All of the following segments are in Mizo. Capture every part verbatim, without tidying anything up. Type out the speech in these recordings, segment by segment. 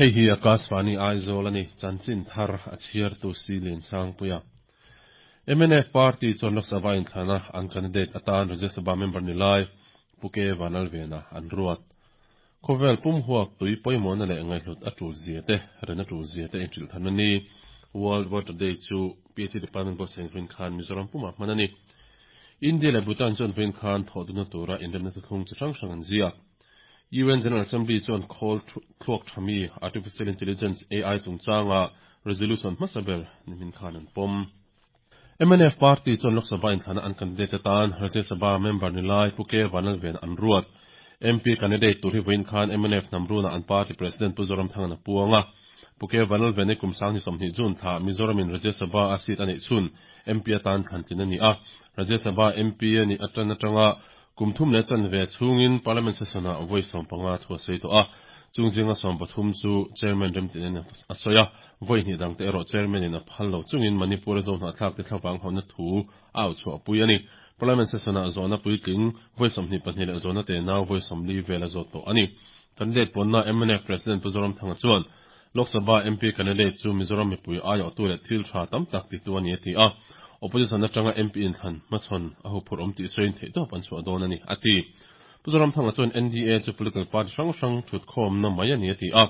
Hei hi Akashvani Aizawl ani chanchin thar a chhiar tu si Lian Sangpuia. M N F party chuan Lok Sabha inthlana an candidate atan Rajya Sabha member ni lai Pu K Vanlalvena an ruat. Khawvel pum huap tui pawimawhna leh ngaihhlut a tul zia te, ren a tul zia te inhrilh than a ni. World Water Day chu P H E Department buatsaih vawiin khan Mizoram pumah hman a ni. India leh Bhutan chuan vawiin khan thawh dunna tura inremna thuthlung chi hrang hrang an ziak. U N General Assembly chuan khawl thluak thami Artificial Intelligence A I chungchanga resolution hmasa ber nimin khan an pawm. M N F party chuan Lok Sabha inthlana an candidate atan Rajya Sabha member ni lai Pu K Vanlalvena an ruat. M P candidate tur hi vawiin khan M N F hnamruna an party president Pu Zoramthanga a puang a. Pu K Vanlalvena kum sang sawmhnih June thla Mizoramin Rajya Sabha a seat a neih chhun M P atan thlantlin a ni a. Rajya Sabha M P ani atan atanga kum thum leh chanve chhungin Parliament session ah vawi sawm panga thu a sawi tawh a. Chung zinga sawm pathum chu chairman remtin a sawi a, vawi hnih dangte erawh chairman in a phal lo chungin Manipur a zo hnahthlak te thlavang hawnna thu a au chhuah pui a ni. Parliament session ah zawhna puitling vawi sawmhnih pahnih leh zawhna te nau vawi sawmli vel a zawt tawh a ni. Candidate puanna M N F President Pu Zoramthanga chuan Lok Sabha M P candidate chu Mizoram mipui aiawhtu leh thil tha tam tak titu a ni a ti a. Opposition atanga M P inthlan hmachhawn a huphurh awm tih sawiin theihtawp an chhuah dawn a ni a ti. Pu Zoramthanga chuan N D A chu political party hrang hrang thutkhawmna mai a ni a ti a.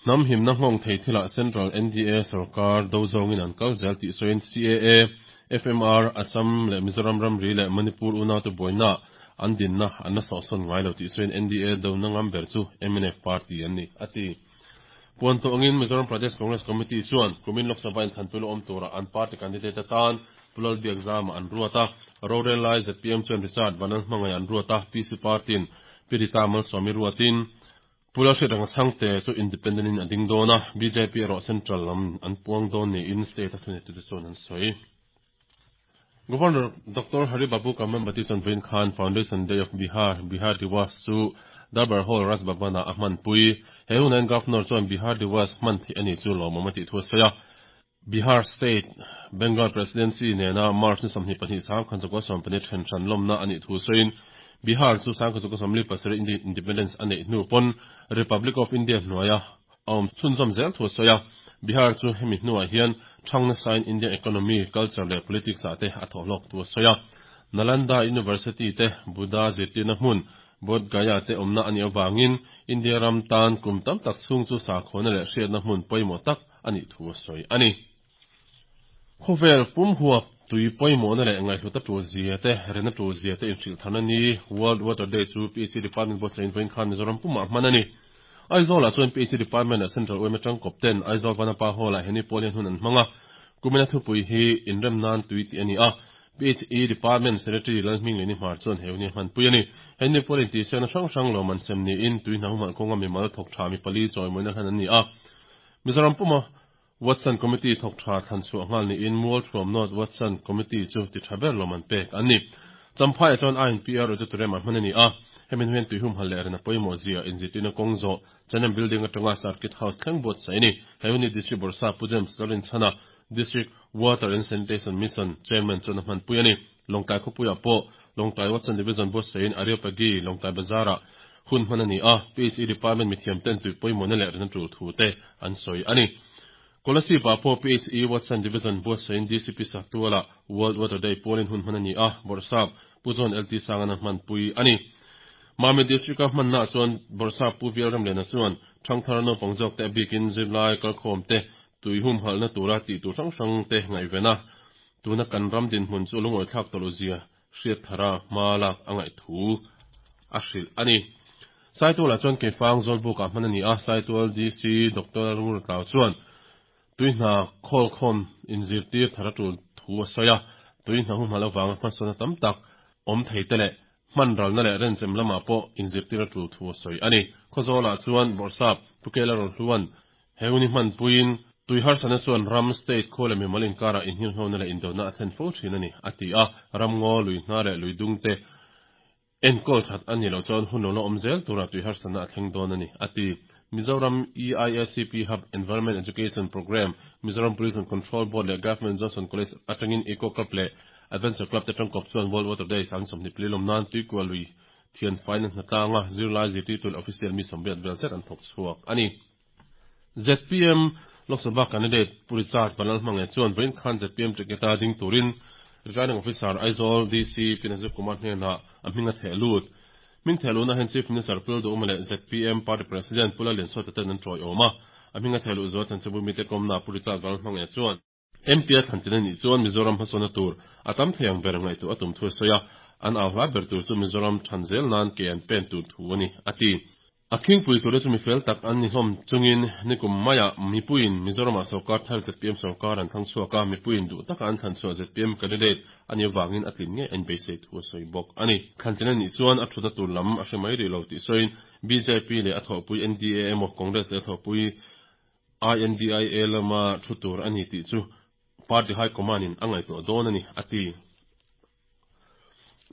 Hnam himna nghawng thei thilah Central N D A sarkar do zawngin an kal zel tih sawiin C A A, F M R, Assam leh Mizoram ramri leh Manipur unau te buaina an dinna an la sawhsawn ngai lo tih sawiin N D A do na ngam ber chu M N F party an ni a ti. Puan tawh angin Mizoram Pradesh Congress Committee chuan kumin Lok Sabha inthlanpui lo awm tura an party candidate atan Pu Lalbiakzama an ruat a. Rorel lai Z P M chuan Richard Vanlalhmangaih an ruat a, P C Party in Pirita Malsawmi ruatin Pu Lalhriatranga Chhangte chu independent in a ding dawn a, B J P erawh central lam an puang dawn niin state a thuneitu te chuan an sawi. Governor Doctor Hari Babu Kambhampati chuan vawiin khan Foundation Day of Bihar, Bihar Diwas chu Darbar Hall Raj Bhavan ah a hmanpui. He hunain Governor chuan Bihar Diwas hman theih ani chu lawmawm a tih thu a sawi a. Bihar State Bengal Presidency nena March ni sawmhnih pahnih sang khan zakua sawm pahnih then hran lawmna anih thu sawiin Bihar chu sang khan zakua sawmli pasarih independence a neih hnu pawn Republic of India hnuaia a awm chhunzawm zel thu a sawi a. Bihar chu hemi hnuah hian thangna sain India economy, culture leh politics ah te a thawh hlawk thu a sawi a. Nalanda University te Buddha zirtirna hmun Bodh Gaya te awmna ani awangin India ram tan kum tam tak chhung chu sakhawna leh hriatna hmun pawimawh tak anih thu a sawi ani. Khawvel pum huap tui pawimawhna leh ngaihhlut a tul zia te, ren a tul zia te inhrilh than a ni. World Water Day chu P H E Department buatsaih vawiin khan Mizoram pumah hman a ni. Aizawl ah chuan P H E Department ah Central U M atang kawp ten Aizawl Vanapa Hall ah heni pawl hian hun an hmang a. Kumina thupui hi inrem nan tui tih a ni a. P H E Department Secretary Lalhming Leni Hmar chuan he huni a hmanpui a ni. Heni pawl intihsiakna hrang hrang lawm an sem niin tui hna humhalh kawnga mimal thawk tha mi pali chawimawina hlan an ni a. Mizoram puma Watson Committee thawk tha thlan chhuah nghal niin Mualthuam North Watson Committee chu ti tha ber lawm an pek an ni. Champhai chuan I N P R auditorium ah hman a ni a. Hemin hian tui humhalh leh ren a pawimawh zia inzirtirna kawng zawh Chanem Building atanga Circuit House thleng buatsaih a ni. He huni District Bawrhsap Pu James Lalrinchhana, District Water and Sanitation Mission Chairman chuan a hmanpui a ni. Lawngtlai khawpuiah pawh Lawngtlai Watson Division buatsaihin Areopagi Lawngtlai Bazar-ah hun hman a ni a. P H E Department mithiam ten tui pawimawhna leh ren a tul thu te an sawi a ni. Kolasib ah pawh P H E Watson Division buatsaihin D C P Saktuala World Water Day pawlin hun hman a ni a, Bawrhsap Pu John L T Sangan a hmanpui a ni. Mami District a hmanna chuan Bawrhsap Pu V L Ramliana chuan thangthar naupang zawk te a bikin zirlai kalkhawm te tui humhalhna tura tih tur hrang hrang te ngaihvena tuna kan ram dinhmun chu lungawi thlak tawh lo zia hriat thara hma lak a ngaih thu a hrilh a ni. Saitual ah chuan Keifang Zawlbuk ah hman a ni a, Saitual D C Doctor Ngurtlau chuan tui hna khawlkhawm inzirtir thar a tul thu a sawi a, tui hna humhalh avanga hmasawn tam tak awm thei te leh hman ralna leh renchem lamah pawh inzirtir a tul thu a sawi a ni. Khawzawl ah chuan Bawrhsap Pu Kela Rohluan he huni hmanpuiin tui harsatna chuan ram state khaw leh mimal inkarah inhirhnawna leh indona a thlen fo thin a ni a ti a, ramngaw lui hna leh lui dung te enkawl that a ni lo chuan hun lo la awm zel tura tui harsatna a thleng dawn a ni a ti. Mizoram E I S C P Hub Environment Education Program, Mizoram Pollution Control Board leh Government Johnson College atangin Eco Club leh Adventure Club te tangkawp chuan World Water Day sang sawmhnih pali lawm nan tuikual lui thian faina hnatlanga zirlai zirtirtu leh official mi sawmriat vel zet an thawk chhuak a ni. Z P M Lok Sabha candidate Pu Richard Vanlalhmangaih chuan vawiin khan Z P M ticket a ding turin Returning Officer Aizawl D C Pi Nazir Kumar hnenah a hming a theh lut. Hming theh luhna hian Chief Minister Pu Lalduhuma leh Z P M Party President Pu Lallianzuala ten an tawiawm a. A hming a theh luh zual chanchinbu mite kawmna Pu Richard Vanlalhmangaih chuan M P a thlantin a nih chuan Mizoram hmasawnna tur a tam thei ang ber ngaihtuah a tum thu a sawi a, an au hla ber tur chu Mizoram than zel nan ke an pen tur thu a ni a ti. A khingpui tur chu mi fel tak an ni hlawm chungin nikum maiah mipuiin Mizoramah sorkar thar Z P M sorkar an thlang chhuak a, mipuiin duh taka an thlan chhuah Z P M candidate a nih avangin a tlin ngei a inbeisei thu a sawi bawk a ni. Thlantin a nih chuan a thutna tur lam a hre mai rih lo tih sawiin B J P leh a thawhpui N D A emaw Congress leh a thawhpui I N D I A lama thu tur a ni tih chu Party High Command in a ngaihtuah dawn a ni a ti.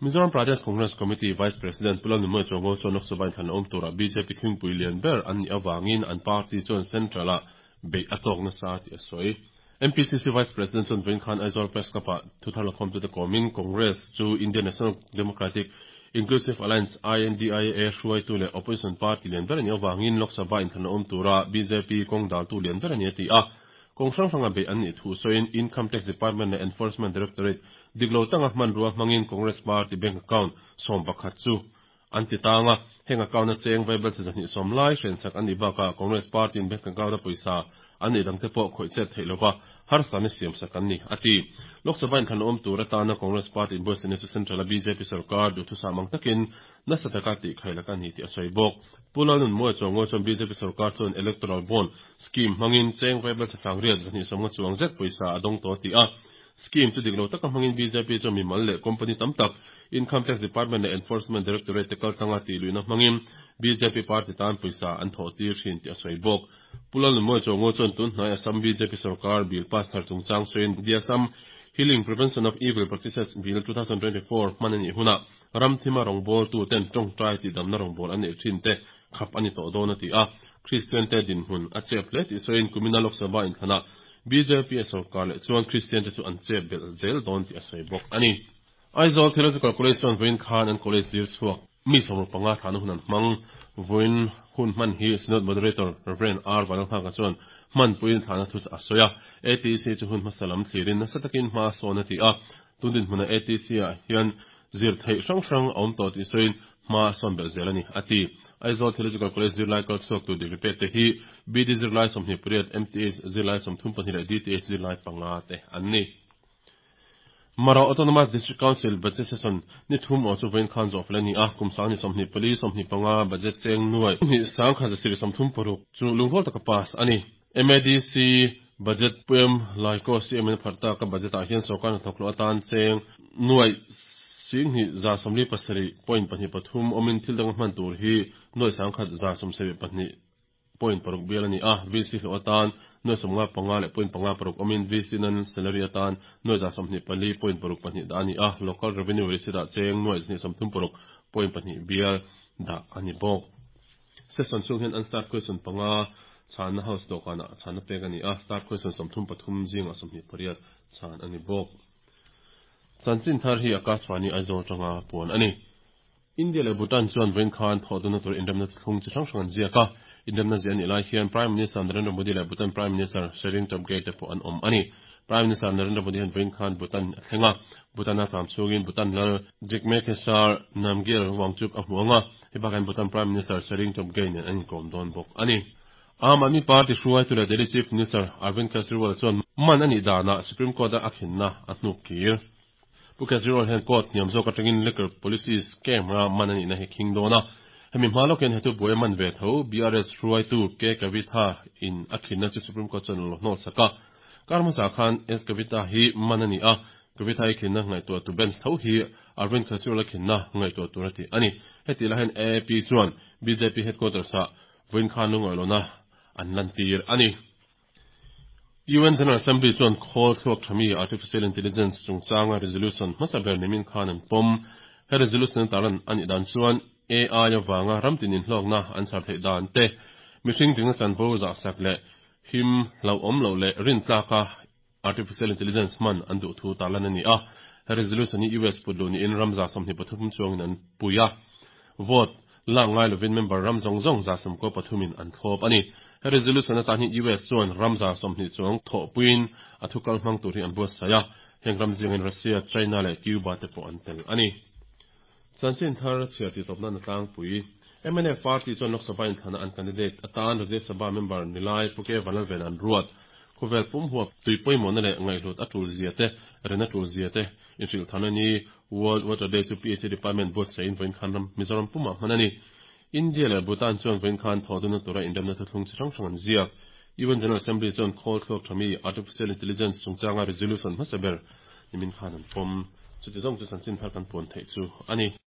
Mizoram Pradesh Congress Committee Vice President Pu Lalnunmawia Chuango chuan Lok Sabha inthlan awm turah B J P khingpui lian ber an nih avangin an party chuan Central-ah beih a tawk nasa tih a sawi. M P C C Vice President chuan vawiin khan Aizawl Press Club-ah thuthar lakhawmtute kawmin Congress chu Indian National Democratic Inclusive Alliance I N D I A hruaitu leh Opposition Party lian ber a nih avangin Lok Sabha inthlan awm turah B J P kawng daltu lian ber a ni a ti a. Kawng hrang hranga beih an nih thu sawiin Income Tax Department leh Enforcement Directorate dik lo taka hmanrua hmangin Congress Party bank account sawm pakhat chu an ti tang a, heng account a cheng vaibelchhe zahnih sawm lai hrensak an nih bakah Congress Party in bank account a pawisa an nih dangte pawh khawih chet theih lova harsatna siamsak an ni a ti. Lok Sabha inthlan awm tur atana Congress Party inbuatsaihna chu Central a B J P sorkar duhthusam ang takin nasa taka tih khailak a ni tih a sawi bawk. Pu Lalnunmawia Chuango chuan B J P sorkar chuan electoral bond scheme hmangin cheng vaibelchhe sangriat zahnih sawmnga chuang zet pawisa a dawng tawh ti a. Scheme chu dik lo taka hmangin B J P chuan mimal leh company tam tak Income Tax Department leh Enforcement Directorate te kaltlanga tih luihna hmangin B J P party tan pawisa an thawh tir thin tih a sawi bawk. Pu Lalnunmawia Chuango chuan tun hnai Assam B J P sorkar bill pass thar chungchang sawiin The Assam Healing Prevention of Evil Practices Bill twenty twenty-four hman a nih hunah ram thima rawngbawltu ten tawngtai tih damna rawngbâwl an neih thin te khap a ni tawh dawn a ti a. Kristian te dinhmun a chep hle tih sawiin kumina Lok Sabha inthlanah B J P a sorkar leh chuan Kristian te chu an chep belh zel dawn tih a sawi bawk a ni. Aizawl Theological College chuan vawiin khan an college zir chhuak mi sawmruk panga thlahna hun an hmang. Vawiin hun hman hi Synod Moderator Reverend R Vanlalnghaka chuan hmanpuiin thlahna thu a sawi a. A T C chu hun hmasa lam thlirin nasa takin hma sawn a ti a. Tun dinhmuna A T C ah hian zir theih hrang hrang a awm tawh tih sawiin hma sawn belh zel a ni a ti. Aizawl Theological College zirlai kal chhuak tu degree pek te hi B D zirlai sawmhnih pariat, M T H zirlai sawmthum pahnih leh D T H zirlai panga te an ni. Mara Autonomous District Council budget session ni thum aw chu vawiin khan zawh fel a ni a. Kum sanghnih sawmhnih pali sawmhnih panga budget cheng nuai hnih sangkhat zasarih sawmthum paruk chu lungrual taka pass a ni. M A D C budget P M Laiko C M in pharh taka budget ah hian sorkar hnathawk hlawh atan cheng nuai singhnih za sawmli pasarih point pahnih pathum awmin thil dang hman tur hi nuai sangkhat za sawmsarih pahnih point paruk bial a ni a. V C hlawh atan nuai sawmnga panga leh point panga paruk awmin V C non salary atan nuai za sawmhnih pali point paruk pahnih dah a ni a. Local revenue receipt ah cheng nuai zahnih sawmthum paruk point pahnih bial dah a ni bawk. Session chhung hian unstarred question panga chhanna house dawhkanah chhanna pek a ni a, starred question sawmthum pathum zingah sawmhnih pariat chhan a ni bawk. Chanchin thar hi Akashvani Aizawl tanga puan a ni. India leh Bhutan chuan vawiin khan thawhdunna tur inremna thlung chi hrang hrang an ziak a. Inremna ziah a nih lai hian Prime Minister Narendra Modi leh Bhutan Prime Minister Tshering Tobgay te pawh an awm a ni. Prime Minister Narendra Modi hian vawiin khan Bhutan a thleng a. Bhutan a cham chhungin Bhutan lal Jigme Khesar Namgyel Wangchuk a hmu anga, hei bakah hian Bhutan Prime Minister Tshering Tobgay nen an inkawm dawn bawk a ni. Aam Aadmi Party hruaitu leh Delhi Chief Minister Arvind Kejriwal chuan man a nih danah Supreme Court a a khinna a hnuk kir. Pu Kejriwal hian court hniam zawk atangin liquor policy scam ra man a nihna hi khing dawn a. Hemi hma lawkin hetu buai man ve tho B R S hruaitu K Kavitha in a khinna chu Supreme Court chuan lo hnawt sak a. Kar hmasa khan S Kavitha hi man a ni a. Kavitha hi khinna ngaihtuah tu bench tho hi Arvind Kejriwal a khinna ngaihtuah tur a ti a ni. Heti lai hian A A P chuan B J P headquarters ah vawiin khan lungawi an lan tir a ni. U N General Assembly chuan khawl thluak thami artificial intelligence chungchanga resolution hmasa ber nimin khan an pawm. He resolution talan ani dan chuan A I awanga ramtin in hlawkna an char theih dan te, mihring dingna chanvo zah sak leh him lo awm lo leh rin tlaka artificial intelligence man an duh thu talan ani a. He resolution hi U S putlu ni in ramza sawmhnih pathum chuangin an pui a. Vote lak ngai lovin member ram zawng zawng za sawmkaw pathumin an thlawp ani. He resolution atan hian US chuan ram za sawmhnih chuang thawhpuiin a thu kal hmang tur hi an buatsaih a, heng ram zingin Russia, China leh Cuba te pawh an tel a ni. Chanchin thar chhiar tih tawp nan a tlangpui. MNF party chuan Lok Sabha inthlana an candidate atan Rajya Sabha member nilai Pu K Vanlalvena an ruat. Khawvel pum huap tui pawimawhna leh ngaihhlut a tul zia te, ren a tul zia te inhrilh tharna ni World Water Day chu PHE Department buatsaihin vawiin khan ram Mizoram pumah hman a ni. India leh Bhutan chuan vawiin khan thawhdunna tura inremna thuthlung chi hrang hrang an ziak. UN General Assembly chuan khawl thluak tha mi Artificial Intelligence chungchanga resolution hmasa ber nimin khan an pawm. Chuti zawng chu chanchin thar kan puan theih chu a ni.